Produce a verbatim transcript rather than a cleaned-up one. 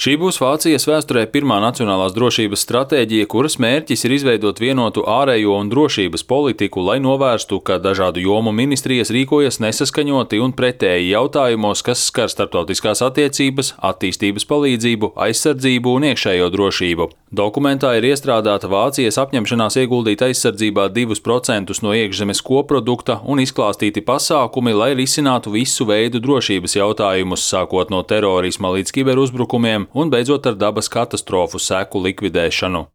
Šī būs Vācijas vēsturē pirmā nacionālās drošības stratēģija, kuras mērķis ir izveidot vienotu ārējo un drošības politiku, lai novērstu, ka dažādu jomu ministrijas rīkojas nesaskaņoti un pretēji jautājumos, kas skar starptautiskās attiecības, attīstības palīdzību, aizsardzību un iekšējo drošību. Dokumentā ir iestrādāta Vācijas apņemšanās ieguldīt aizsardzībā divus procentus no iekšzemes koprodukta un izklāstīti pasākumi, lai risinātu visu veidu drošības jautājumus, sākot no terorisma līdz kiberuzbrukumiem un beidzot ar dabas katastrofu seku likvidēšanu.